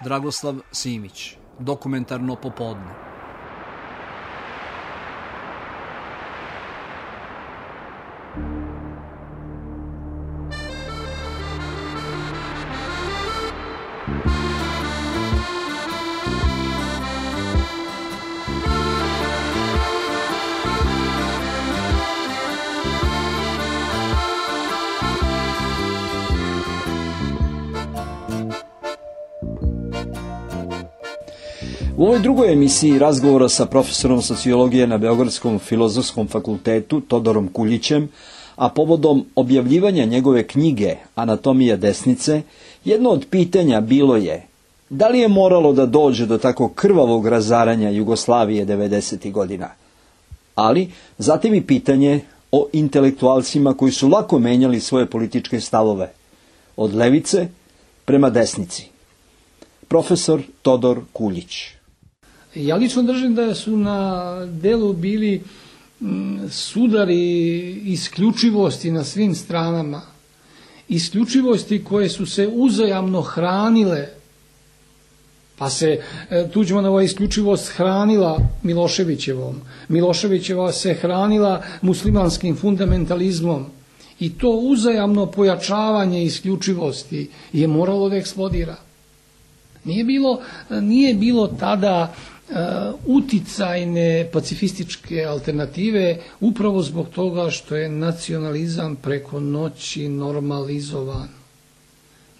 Dragoslav Simić, Dokumentarno popodne. U ovoj drugoj emisiji razgovora sa profesorom sociologije na Beogradskom filozofskom fakultetu Todorom Kuljićem, a povodom objavljivanja njegove knjige Anatomija desnice, jedno od pitanja bilo je da li je moralo da dođe do tako krvavog razaranja Jugoslavije 90. godina. Ali zatim i pitanje o intelektualcima koji su lako menjali svoje političke stavove, od levice prema desnici. Profesor Todor Kuljić. Ja lično držim da su na delu bili sudari isključivosti na svim stranama. Isključivosti koje su se uzajamno hranile, pa se Tuđmanova isključivost hranila Miloševićevom. Miloševićeva se hranila muslimanskim fundamentalizmom. I to uzajamno pojačavanje isključivosti je moralo da eksplodira. Nije bilo tada uticajne pacifističke alternative upravo zbog toga što je nacionalizam preko noći normalizovan.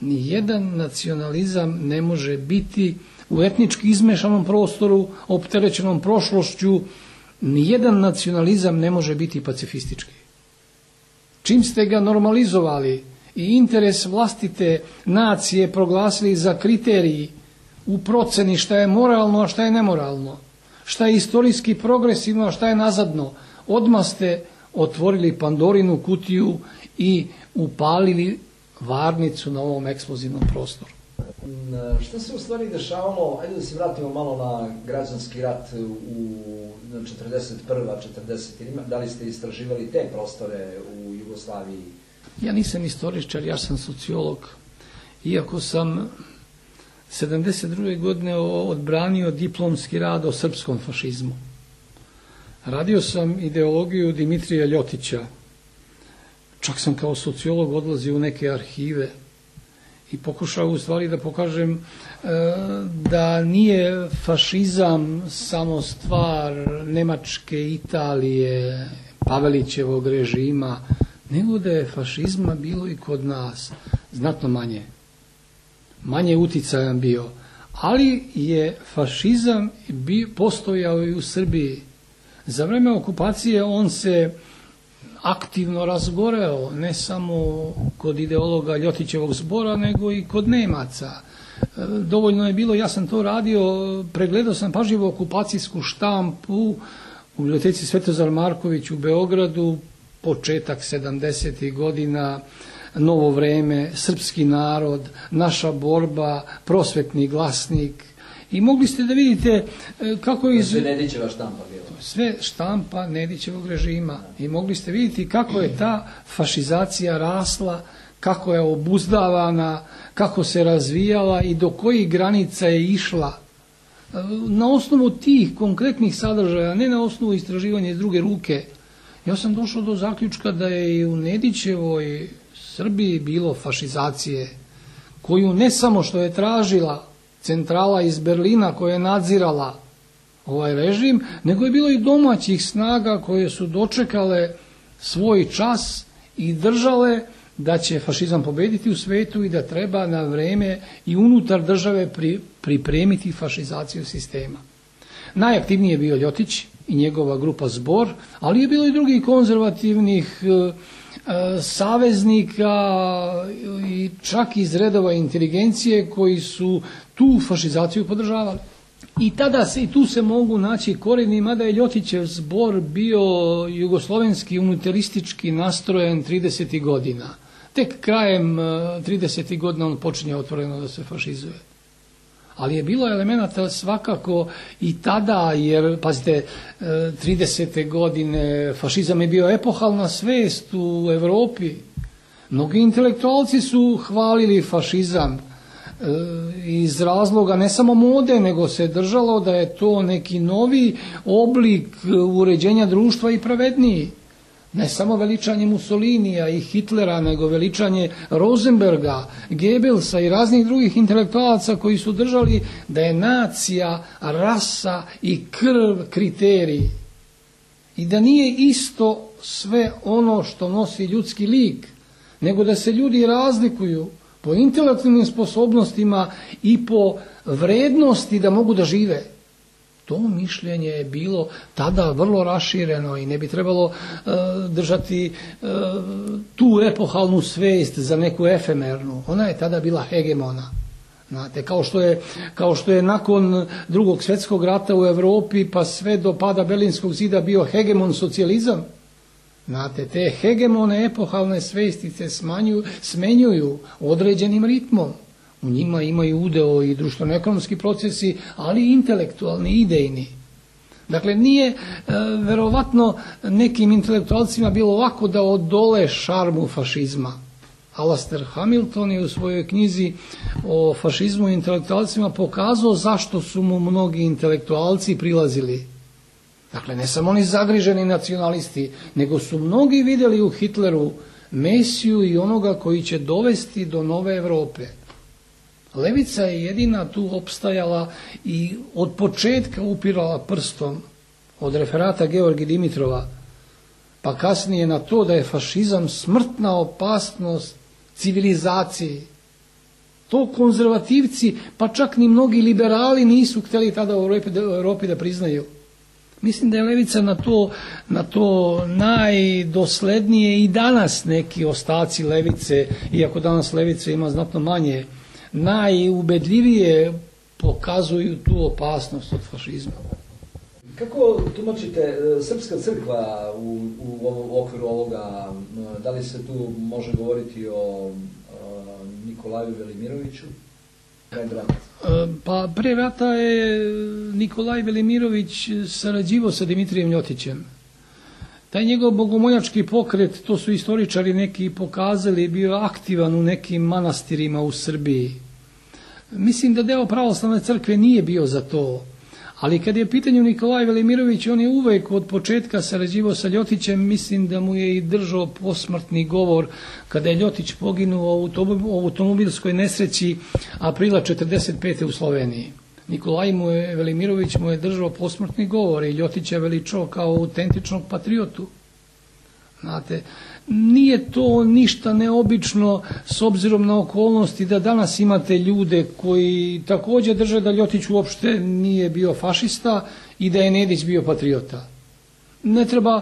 Nijedan nacionalizam ne može biti u etnički izmešanom prostoru, opterećenom prošlošću, nijedan nacionalizam ne može biti pacifistički. Čim ste ga normalizovali i interes vlastite nacije proglasili za kriteriji u proceni šta je moralno, a šta je nemoralno, šta je istorijski progresivno, a šta je nazadno, odmah ste otvorili Pandorinu kutiju i upalili varnicu na ovom eksplozivnom prostoru. Šta se u stvari dešavalo, ajde da se vratimo malo na građanski rat u 41. 40. Da li ste istraživali te prostore u Jugoslaviji? Ja nisam istoričar, ja sam sociolog. Iako sam 72. godine odbranio diplomski rad o srpskom fašizmu. Radio sam ideologiju Dimitrija Ljotića. Čak sam kao sociolog odlazio u neke arhive i pokušao u stvari da pokažem da nije fašizam samo stvar Nemačke, Italije, Pavelićevog režima, nego da je fašizma bilo i kod nas znatno manje uticajan bio, ali je fašizam postojao i u Srbiji. Za vreme okupacije on se aktivno razgoreo, ne samo kod ideologa Ljotićevog zbora, nego i kod Nemaca. Dovoljno je bilo, ja sam to radio, pregledao sam pažljivo okupacijsku štampu u biblioteci Svetozar Marković u Beogradu, početak 70. godina, Novo vreme, Srpski narod, Naša borba, Prosvetni glasnik. I mogli ste da vidite kako je... Sve Nedićeva štampa bila. Sve štampa Nedićevog režima. I mogli ste vidjeti kako je ta fašizacija rasla, kako je obuzdavana, kako se razvijala i do kojih granica je išla. Na osnovu tih konkretnih sadržaja, ne na osnovu istraživanja iz druge ruke, ja sam došao do zaključka da je i u Nedićevoj Srbiji bilo fašizacije, koju ne samo što je tražila centrala iz Berlina koja je nadzirala ovaj režim, nego je bilo i domaćih snaga koje su dočekale svoj čas i držale da će fašizam pobediti u svetu i da treba na vreme i unutar države pripremiti fašizaciju sistema. Najaktivniji je bio Ljotić i njegova grupa Zbor, ali je bilo i drugih konzervativnih saveznika i čak iz redova inteligencije koji su tu fašizaciju podržavali. I tu se mogu naći korijeni, mada je Ljotićev Zbor bio jugoslovenski unitaristički nastrojen 30. godina. Tek krajem 30. godina on počinje otvoreno da se fašizuje. Ali je bilo elemenata svakako i tada, jer, pazite, 30. godine fašizam je bio epohalna svest u Evropi. Mnogi intelektualci su hvalili fašizam. iz razloga ne samo mode, nego se držalo da je to neki novi oblik uređenja društva i pravedniji. Ne samo veličanje Mussolinija i Hitlera, nego veličanje Rosenberga, Goebbelsa i raznih drugih intelektualaca koji su držali da je nacija, rasa i krv kriterij. I da nije isto sve ono što nosi ljudski lik, nego da se ljudi razlikuju po intelektualnim sposobnostima i po vrednosti da mogu da žive. To mišljenje je bilo tada vrlo rašireno i ne bi trebalo držati tu epohalnu svest za neku efemernu. Ona je tada bila hegemona. Znate, kao što je nakon Drugog svjetskog rata u Europi pa sve do pada Berlinskog zida bio hegemon socijalizam. Znate, te hegemone epohalne svestice smenjuju određenim ritmom. U njima imaju udeo i društveno-ekonomski procesi, ali i intelektualni, idejni. Dakle, nije verovatno nekim intelektualcima bilo lako da odole šarmu fašizma. Alastair Hamilton je u svojoj knjizi o fašizmu i intelektualcima pokazao zašto su mu mnogi intelektualci prilazili. Dakle, ne samo oni zagriženi nacionalisti, nego su mnogi vidjeli u Hitleru Mesiju i onoga koji će dovesti do nove Europe. Levica je jedina tu opstajala i od početka upirala prstom od referata Georgi Dimitrova, pa kasnije na to da je fašizam smrtna opasnost civilizaciji. To konzervativci, pa čak ni mnogi liberali nisu htjeli tada u Europi da priznaju. Mislim da je levica na to najdoslednije i danas neki ostaci levice, iako danas levice ima znatno manje, najubedljivije pokazuju tu opasnost od fašizma. Kako tumačite Srpska crkva u okviru ovoga? Da li se tu može govoriti o Nikolaju Velimiroviću? Pa pre rata je Nikolaj Velimirović sarađivao sa Dimitrijem Ljotićem. Taj njegov bogomoljački pokret, to su istoričari neki pokazali, bio aktivan u nekim manastirima u Srbiji. Mislim da deo pravoslavne crkve nije bio za to, ali kad je u pitanju Nikolaj Velimirović, on je uvek od početka sarađivao sa Ljotićem. Mislim da mu je i držao posmrtni govor kada je Ljotić poginuo u automobilskoj nesreći aprila 1945. u Sloveniji. Nikolaj Velimirović mu je držao posmrtni govor i Ljotić je veličao kao autentičnog patriotu. Znate, nije to ništa neobično s obzirom na okolnosti da danas imate ljude koji također drže da Ljotić uopšte nije bio fašista i da je Nedić bio patriota. Ne treba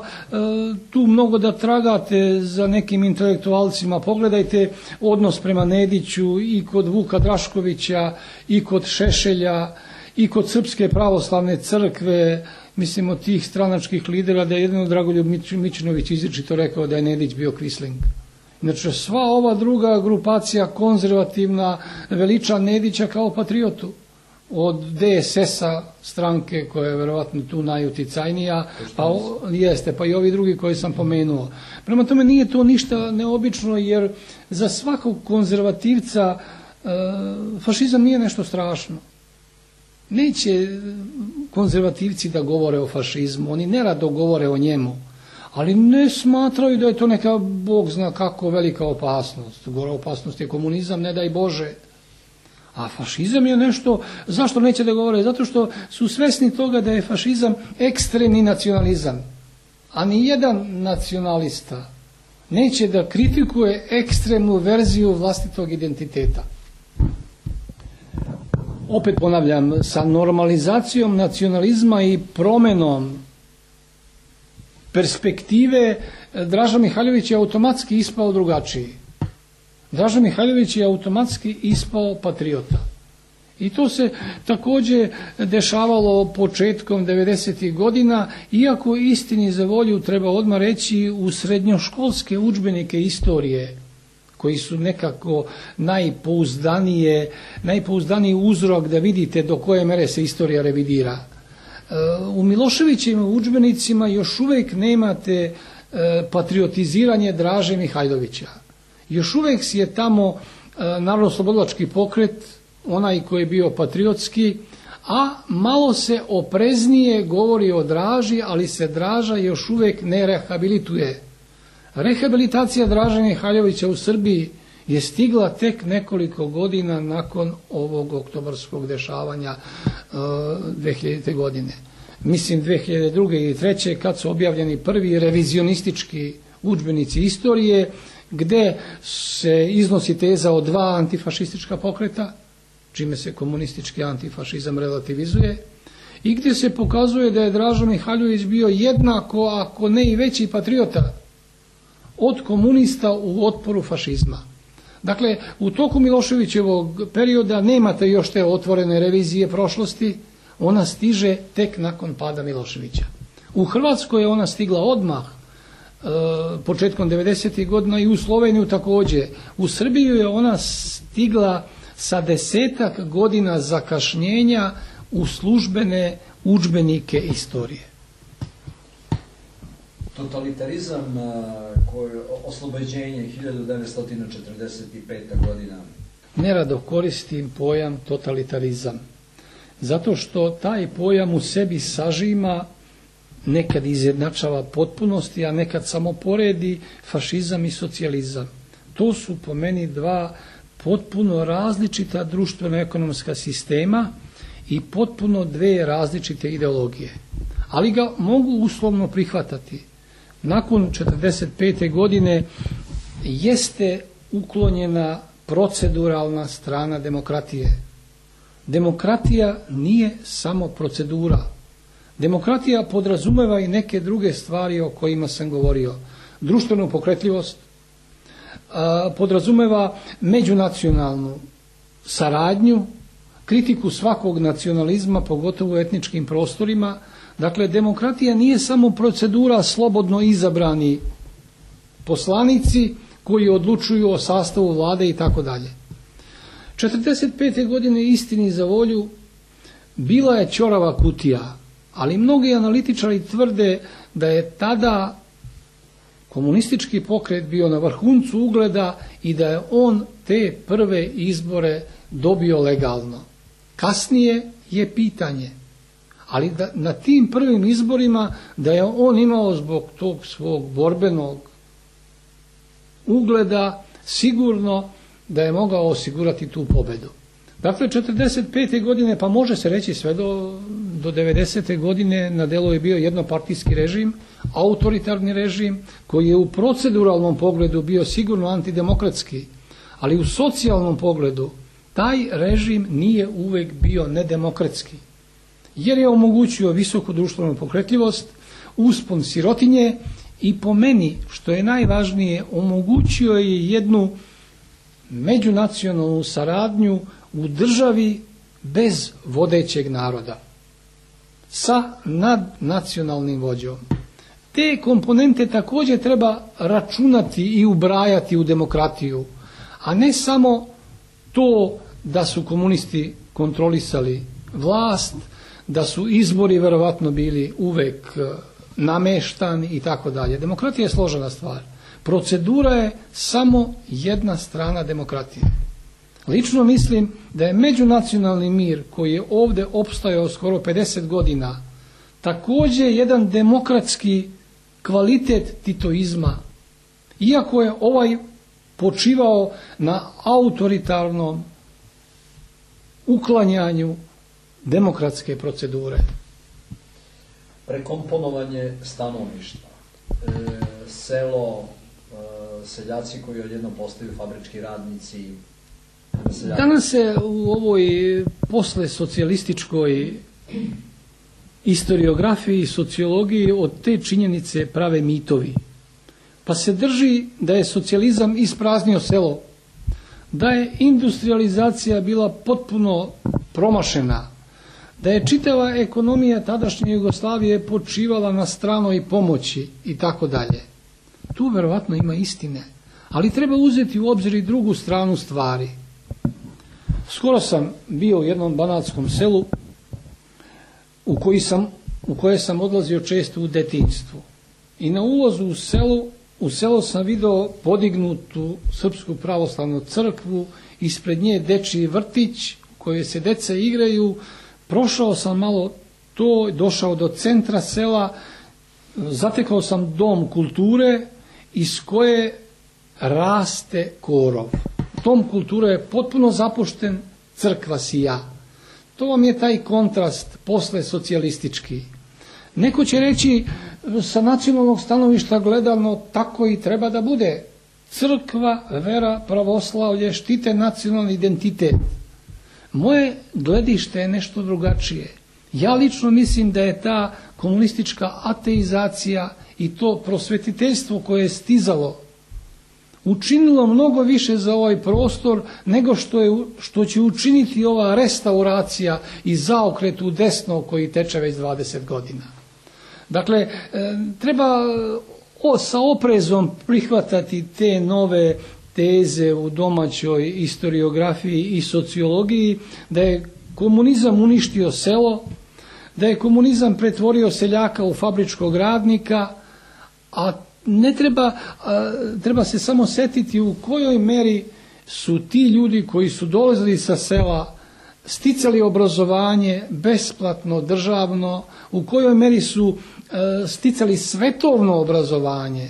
tu mnogo da tragate za nekim intelektualcima. Pogledajte odnos prema Nediću i kod Vuka Draškovića, i kod Šešelja, i kod Srpske pravoslavne crkve, mislim od tih stranačkih lidera, da je jedino Dragoljub Mićunović izričito rekao da je Nedić bio Quisling. Znači, sva ova druga grupacija konzervativna veliča Nedića kao patriotu. Od DSS-a stranke koja je verovatno tu najuticajnija, pa i ovi drugi koji sam pomenuo. Prema tome nije to ništa neobično, jer za svakog konzervativca fašizam nije nešto strašno. Neće konzervativci da govore o fašizmu, oni nerado govore o njemu, ali ne smatraju da je to neka, Bog zna kako, velika opasnost. Gora opasnost je komunizam, ne daj Bože. A fašizam je nešto, zašto neće da govore? Zato što su svesni toga da je fašizam ekstremni nacionalizam. A ni jedan nacionalista neće da kritikuje ekstremnu verziju vlastitog identiteta. Opet ponavljam, sa normalizacijom nacionalizma i promenom perspektive Draža Mihajlović je automatski ispao drugačiji. Draža Mihajlović je automatski ispao patriota. I to se također dešavalo početkom 90. godina, iako istini za volju treba odmah reći u srednjoškolske udžbenike istorije, koji su nekako najpouzdaniji uzrok da vidite do koje mere se istorija revidira. U Miloševićevim udžbenicima još uvijek nemate patriotiziranje Draže Mihajlovića. Još uvijek je tamo narodnooslobodilački pokret onaj koji je bio patriotski, a malo se opreznije govori o Draži, ali se Draža još uvijek ne rehabilituje. Rehabilitacija Draže Mihajlovića u Srbiji je stigla tek nekoliko godina nakon ovog oktobarskog dešavanja 2000. godine. Mislim 2002. i 2003. kad su objavljeni prvi revizionistički udžbenici istorije, gde se iznosi teza o dva antifašistička pokreta, čime se komunistički antifašizam relativizuje, i gdje se pokazuje da je Draža Mihajlović bio jednako, ako ne i veći patriota od komunista u otporu fašizma. Dakle, u toku Miloševićevog perioda nemate još te otvorene revizije prošlosti, ona stiže tek nakon pada Miloševića. U Hrvatskoj je ona stigla odmah, početkom 90. godina, i u Sloveniju također. U Srbiju je ona stigla sa 10-ak godina zakašnjenja u službene udžbenike istorije. Totalitarizam, oslobođenje 1945. godina. Nerado koristim pojam totalitarizam, zato što taj pojam u sebi sažima, nekad izjednačava potpunosti, a nekad samo poredi fašizam i socijalizam. To su po meni dva potpuno različita društveno-ekonomska sistema i potpuno dve različite ideologije. Ali ga mogu uslovno prihvatati. Nakon 1945. godine jeste uklonjena proceduralna strana demokratije. Demokratija nije samo procedura. Demokratija podrazumeva i neke druge stvari o kojima sam govorio. Društvenu pokretljivost, podrazumeva međunacionalnu saradnju, kritiku svakog nacionalizma, pogotovo u etničkim prostorima. Dakle, demokratija nije samo procedura slobodno izabrani poslanici koji odlučuju o sastavu vlade i tako dalje. 1945. godine, istini za volju, bila je ćorava kutija, ali mnogi analitičari tvrde da je tada komunistički pokret bio na vrhuncu ugleda i da je on te prve izbore dobio legalno. Kasnije je pitanje, ali da na tim prvim izborima da je on imao zbog tog svog borbenog ugleda sigurno da je mogao osigurati tu pobedu. Dakle, 1945. godine, pa može se reći sve do 90. godine, na delu je bio jednopartijski režim, autoritarni režim, koji je u proceduralnom pogledu bio sigurno antidemokratski, ali u socijalnom pogledu taj režim nije uvek bio nedemokratski, jer je omogućio visoku društvenu pokretljivost, uspon sirotinje i, po meni, što je najvažnije, omogućio je jednu međunacionalnu saradnju u državi bez vodećeg naroda, sa nadnacionalnim vođom. Te komponente također treba računati i ubrajati u demokratiju, a ne samo to da su komunisti kontrolisali vlast, da su izbori verovatno bili uvek nameštani i tako dalje. Demokratija je složena stvar. Procedura je samo jedna strana demokratije. Lično mislim da je međunacionalni mir koji je ovdje opstajao skoro 50 godina također jedan demokratski kvalitet titoizma, iako je ovaj počivao na autoritarnom uklanjanju demokratske procedure. Prekomponovanje stanovništva, selo, seljaci koji odjednom postaju fabrički radnici. Danas se u ovoj posle socijalističkoj historiografiji i sociologiji od te činjenice prave mitovi. Pa se drži da je socijalizam ispraznio selo, da je industrializacija bila potpuno promašena, da je čitava ekonomija tadašnje Jugoslavije počivala na stranoj pomoći i tako dalje. Tu verovatno ima istine, ali treba uzeti u obzir i drugu stranu stvari. Skoro sam bio u jednom banatskom selu u koje sam odlazio često u detinjstvu. I na ulazu u selo sam vidio podignutu Srpsku pravoslavnu crkvu, ispred nje dečiji vrtić u kojoj se deca igraju, prošao sam malo to, došao do centra sela, zatekao sam dom kulture iz koje raste korov. Dom kulture je potpuno zapušten, crkva sija. To vam je taj kontrast posle socijalistički. Neko će reći sa nacionalnog stanovišta gledano tako i treba da bude. Crkva, vera, pravoslavlje štite nacionalni identitet. Moje gledište je nešto drugačije. Ja lično mislim da je ta komunistička ateizacija i to prosvetiteljstvo koje je stizalo učinilo mnogo više za ovaj prostor nego što će učiniti ova restauracija i zaokret u desno koji teče već 20 godina. Dakle, treba sa oprezom prihvatati te nove teze u domaćoj historiografiji i sociologiji, da je komunizam uništio selo, da je komunizam pretvorio seljaka u fabričkog radnika, a ne treba se samo setiti u kojoj meri su ti ljudi koji su dolazili sa sela sticali obrazovanje besplatno, državno, u kojoj meri su sticali svetovno obrazovanje,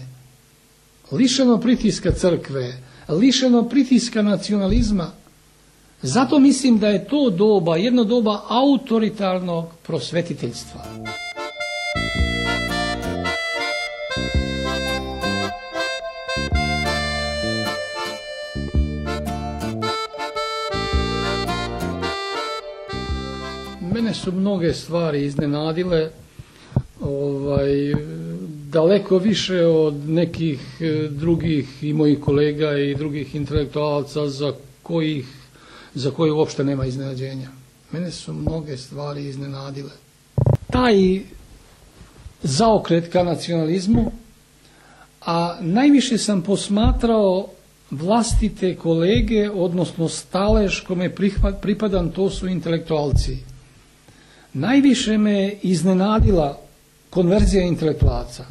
lišeno pritiska crkve, lišeno pritiska nacionalizma. Zato mislim da je to doba, jedno doba autoritarnog prosvetiteljstva. Mene su mnoge stvari iznenadile, daleko više od nekih drugih i mojih kolega i drugih intelektualaca za koje uopšte nema iznenađenja. Mene su mnoge stvari iznenadile. Taj zaokret ka nacionalizmu, a najviše sam posmatrao vlastite kolege, odnosno stalež kome pripadam, to su intelektualci. Najviše me iznenadila konverzija intelektualaca.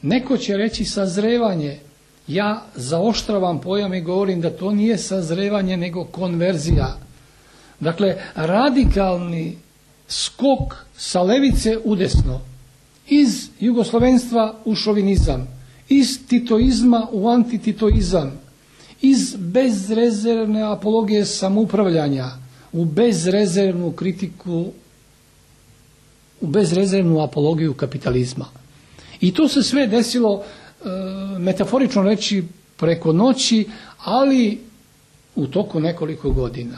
Neko će reći sazrevanje. Ja zaoštravam pojam i govorim da to nije sazrevanje nego konverzija. Dakle, radikalni skok sa levice u desno. Iz jugoslovenstva u šovinizam. Iz titoizma u antititoizam. Iz bezrezervne apologije samoupravljanja u bezrezervnu kritiku, u bezrezervnu apologiju kapitalizma. I to se sve desilo, metaforično reći, preko noći, ali u toku nekoliko godina.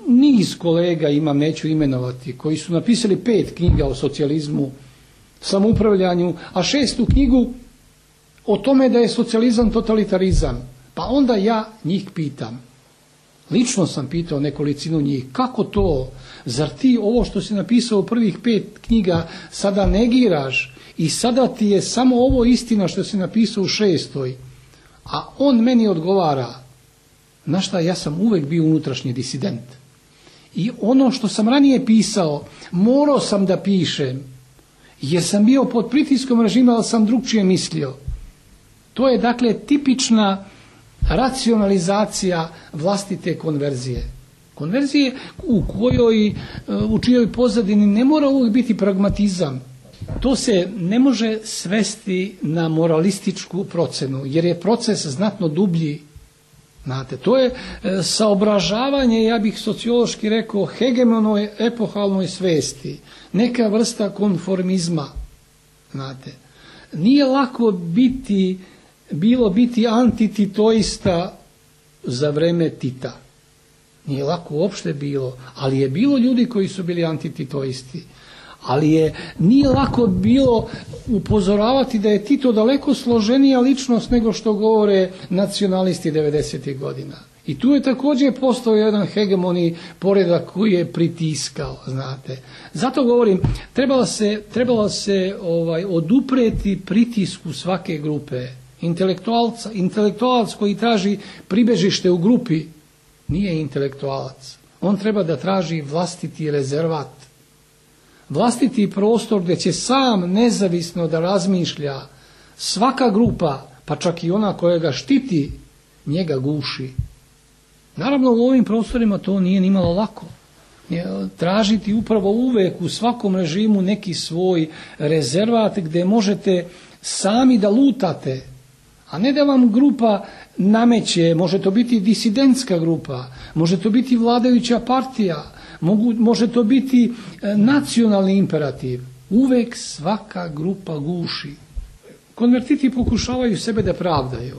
Niz kolega imam, neću imenovati, koji su napisali 5 knjiga o socijalizmu, samoupravljanju, a 6. knjigu o tome da je socijalizam totalitarizam. Pa onda ja njih pitam. Lično sam pitao nekolicinu njih, kako to? Zar ti ovo što si napisao u prvih 5 knjiga sada negiraš i sada ti je samo ovo istina što si napisao u 6. A on meni odgovara, znaš šta, ja sam uvek bio unutrašnji disident. I ono što sam ranije pisao, morao sam da pišem, jer sam bio pod pritiskom režima, ali sam drugčije mislio. To je dakle tipična racionalizacija vlastite konverzije. Konverzije u čijoj pozadini ne mora uvijek biti pragmatizam. To se ne može svesti na moralističku procenu, jer je proces znatno dublji. Znate, to je saobražavanje, ja bih sociološki rekao, hegemonoj epohalnoj svesti, neka vrsta konformizma. Znate, nije lako bilo biti antititoista za vreme Tita. Nije lako uopšte bilo, ali je bilo ljudi koji su bili antititoisti. Ali nije lako bilo upozoravati da je Tito daleko složenija ličnost nego što govore nacionalisti 90. godina. I tu je također postao jedan hegemoni poredak koji je pritiskao, znate. Zato govorim, trebalo se odupreti pritisku svake grupe. Intelektualac koji traži pribežište u grupi nije intelektualac. On treba da traži vlastiti rezervat. Vlastiti prostor gdje će sam nezavisno da razmišlja. Svaka grupa, pa čak i ona koja ga štiti, njega guši. Naravno, u ovim prostorima to nije nimalo lako. Tražiti upravo uvek u svakom režimu neki svoj rezervat gdje možete sami da lutate, a ne da vam grupa nameće. Može to biti disidentska grupa, može to biti vladajuća partija, može to biti nacionalni imperativ. Uvek svaka grupa guši. Konvertiti pokušavaju sebe da pravdaju.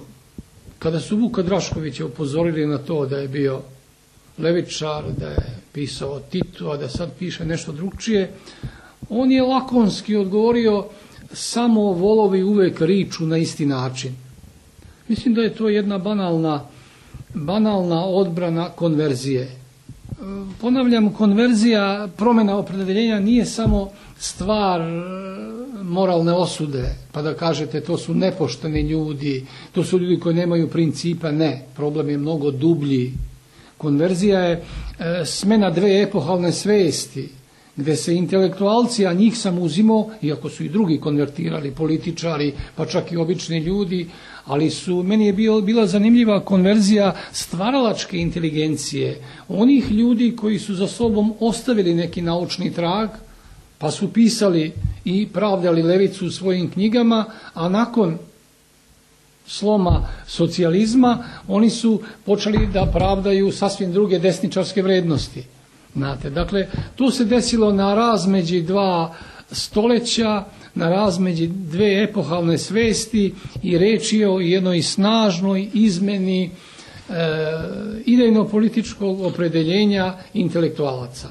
Kada su Vuka Draškovića upozorili na to da je bio levičar, da je pisao o Titu, a da sad piše nešto drugčije, on je lakonski odgovorio: samo volovi uvek riču na isti način. Mislim da je to jedna banalna odbrana konverzije. Ponavljam, konverzija, promjena opredeljenja nije samo stvar moralne osude, pa da kažete to su nepošteni ljudi, to su ljudi koji nemaju principa. Ne, problem je mnogo dublji. Konverzija je smena dve epohalne svesti, gdje se intelektualci, a njih sam uzimao, iako su i drugi konvertirali, političari, pa čak i obični ljudi, ali meni je bila zanimljiva konverzija stvaralačke inteligencije, onih ljudi koji su za sobom ostavili neki naučni trag, pa su pisali i pravdali levicu u svojim knjigama, a nakon sloma socijalizma oni su počeli da pravdaju sasvim druge desničarske vrednosti. Znate, dakle, to se desilo na razmeđi dva stoljeća, na razmeđi dve epohalne svesti, i reč je o jednoj snažnoj izmeni idejno-političkog opredeljenja intelektualaca.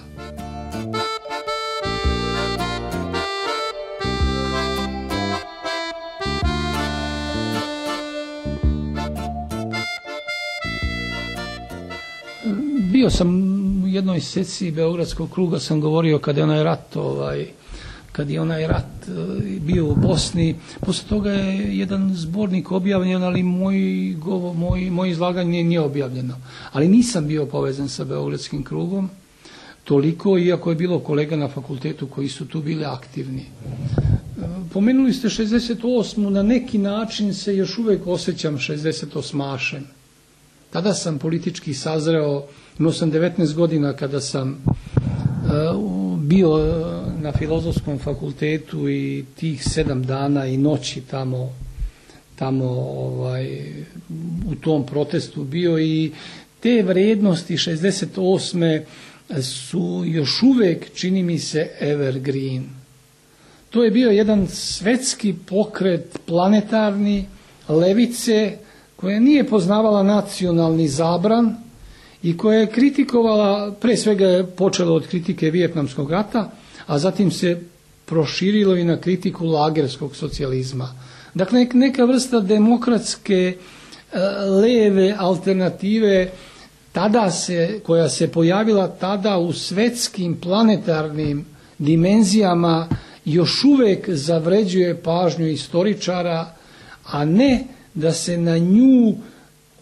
Bio sam u jednoj seciji Beogradskog kruga, sam govorio kad je onaj rat bio u Bosni. Poslije toga je jedan zbornik objavljen, ali moje izlaganje nije objavljeno. Ali nisam bio povezan sa Beogradskim krugom toliko, iako je bilo kolega na fakultetu koji su tu bili aktivni. Pomenuli ste 68. Na neki način se još uvijek osjećam 68-ašem. Tada sam politički sazreo, imao sam 19 godina kada sam bio na Filozofskom fakultetu i tih 7 dana i noći tamo u tom protestu bio, i te vrednosti 68. su još uvijek, čini mi se, evergreen. To je bio jedan svetski pokret planetarni levice koja nije poznavala nacionalni zabran i koja je kritikovala, pre svega je počelo od kritike Vijetnamskog rata, a zatim se proširilo i na kritiku lagerskog socijalizma. Dakle, neka vrsta demokratske leve alternative koja se pojavila tada u svetskim planetarnim dimenzijama, još uvijek zavređuje pažnju istoričara, a ne da se na nju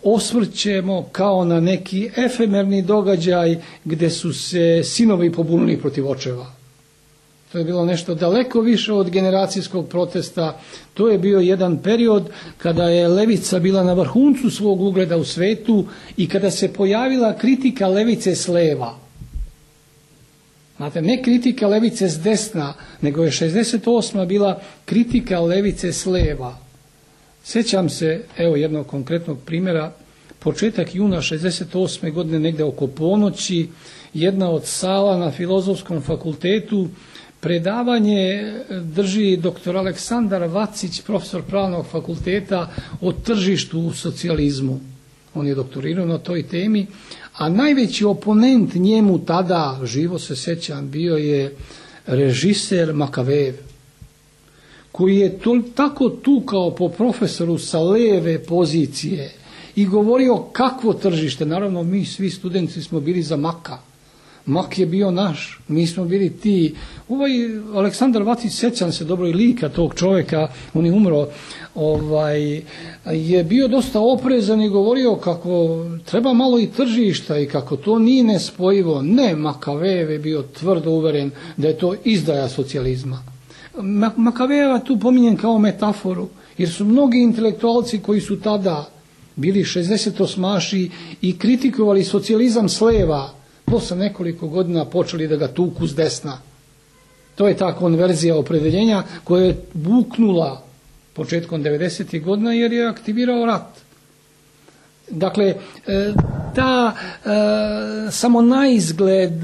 osvrćemo kao na neki efemerni događaj gdje su se sinovi pobunili protiv očeva. To je bilo nešto daleko više od generacijskog protesta. To je bio jedan period kada je levica bila na vrhuncu svog ugleda u svetu i kada se pojavila kritika levice s leva. Znate, ne kritika levice s desna, nego je 68. bila kritika levice s leva. Sjećam se, evo jednog konkretnog primjera, početak juna 68. godine, negdje oko ponoći, jedna od sala na Filozofskom fakultetu, predavanje drži dr. Aleksandar Vacić, profesor pravnog fakulteta, o tržištu u socijalizmu. On je doktorirao na toj temi, a najveći oponent njemu tada, živo se sjećam, bio je režiser Makavejev, koji je tako tukao po profesoru sa leve pozicije i govorio kakvo tržište. Naravno, mi svi studenti smo bili za Maka. Mak je bio naš, mi smo bili ti. Aleksandar Vacić, sjećam se dobro i lika tog čovjeka, on je umro, je bio dosta oprezan i govorio kako treba malo i tržišta i kako to nije nespojivo. Ne, Makavejev je bio tvrdo uveren da je to izdaja socijalizma. Makavejeva tu pominjem kao metaforu, jer su mnogi intelektualci koji su tada bili 68-aši i kritikovali socijalizam s leva, posle nekoliko godina počeli da ga tuku s desna. To je ta konverzija opredeljenja koja je buknula početkom 90. godina jer je aktivirao rat. Dakle, ta samo naizgled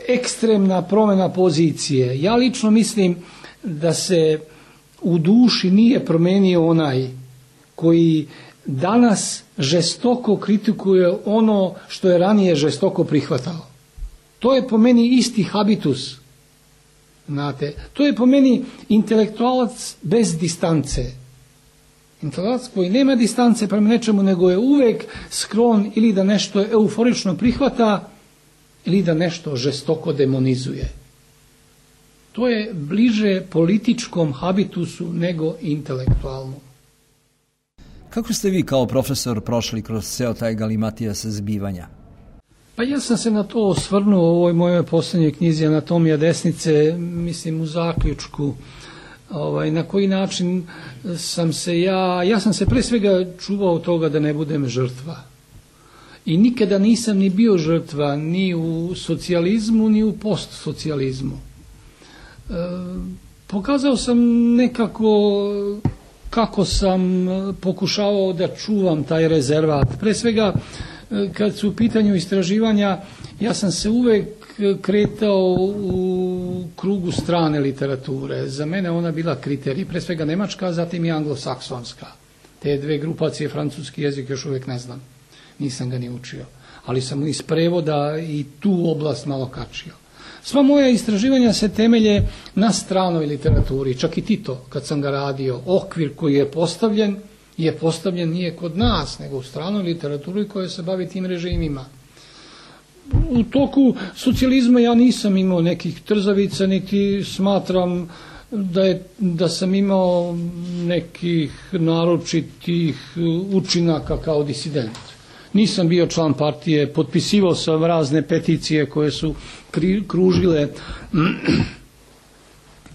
ekstremna promjena pozicije. Ja lično mislim da se u duši nije promenio onaj koji danas žestoko kritikuje ono što je ranije žestoko prihvatao. To je po meni isti habitus. Znate, to je po meni intelektualac bez distance. Intelektualac koji nema distance prema nečemu, nego je uvek sklon ili da nešto euforično prihvata ili da nešto žestoko demonizuje. To je bliže političkom habitusu nego intelektualnom. Kako ste vi kao profesor prošli kroz ceo taj galimatijas zbivanja? Pa ja sam se na to osvrnuo u ovoj mojoj posljednjoj knjizi Anatomija desnice, mislim u zaključku. Na koji način sam se ja sam se pre svega čuvao toga da ne budem žrtva. I nikada nisam ni bio žrtva ni u socijalizmu ni u postsocijalizmu. Pokazao sam nekako kako sam pokušavao da čuvam taj rezervat. Pre svega, kad su u pitanju istraživanja, ja sam se uvek kretao u krugu strane literature. Za mene ona bila kriterij, pre svega nemačka, zatim i anglosaksonska. Te dve grupacije, francuski jezik još uvek ne znam. Nisam ga ni učio. Ali sam iz prevoda i tu oblast malo kačio. Sva moja istraživanja se temelje na stranoj literaturi, čak i Tito, kad sam ga radio. Okvir koji je postavljen nije kod nas, nego u stranoj literaturi koja se bavi tim režimima. U toku socijalizma ja nisam imao nekih trzavica, niti smatram da sam imao nekih naročitih učinaka kao disident. Nisam bio član partije, potpisivao sam razne peticije koje su kružile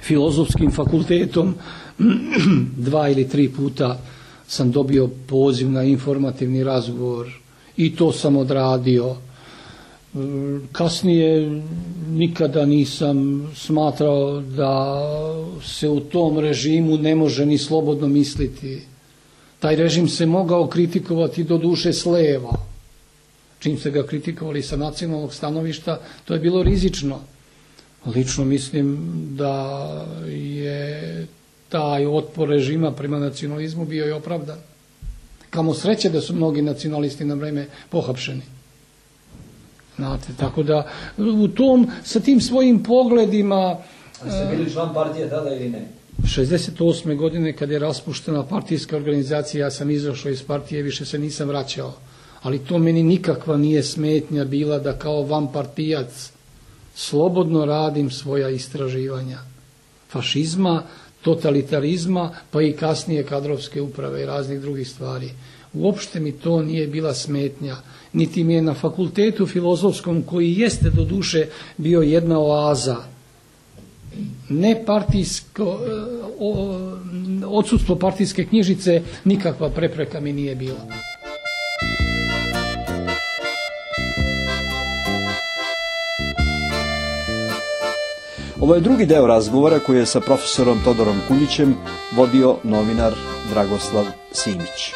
filozofskim fakultetom. 2 ili 3 puta sam dobio poziv na informativni razgovor i to sam odradio. Kasnije nikada nisam smatrao da se u tom režimu ne može ni slobodno misliti. Taj režim se mogao kritikovati do duše s leva. Čim se ga kritikovali sa nacionalnog stanovišta, to je bilo rizično. Lično mislim da je taj otpor režima prema nacionalizmu bio i opravdan. Kamo sreće da su mnogi nacionalisti na vreme pohapšeni. Znate, tako da sa tim svojim pogledima... A ste bili član partije tada ili ne? 68. godine kad je raspuštena partijska organizacija, ja sam izašao iz partije, više se nisam vraćao. Ali to meni nikakva nije smetnja bila da kao vanpartijac slobodno radim svoja istraživanja. Fašizma, totalitarizma, pa i kasnije kadrovske uprave i raznih drugih stvari. Uopšte mi to nije bila smetnja. Niti mi je na fakultetu filozofskom, koji jeste do duše bio jedna oaza, odsudstvo partijske knjižice, nikakva prepreka mi nije bila. Ovo je drugi deo razgovora koji je sa profesorom Todorom Kuljićem vodio novinar Dragoslav Simić.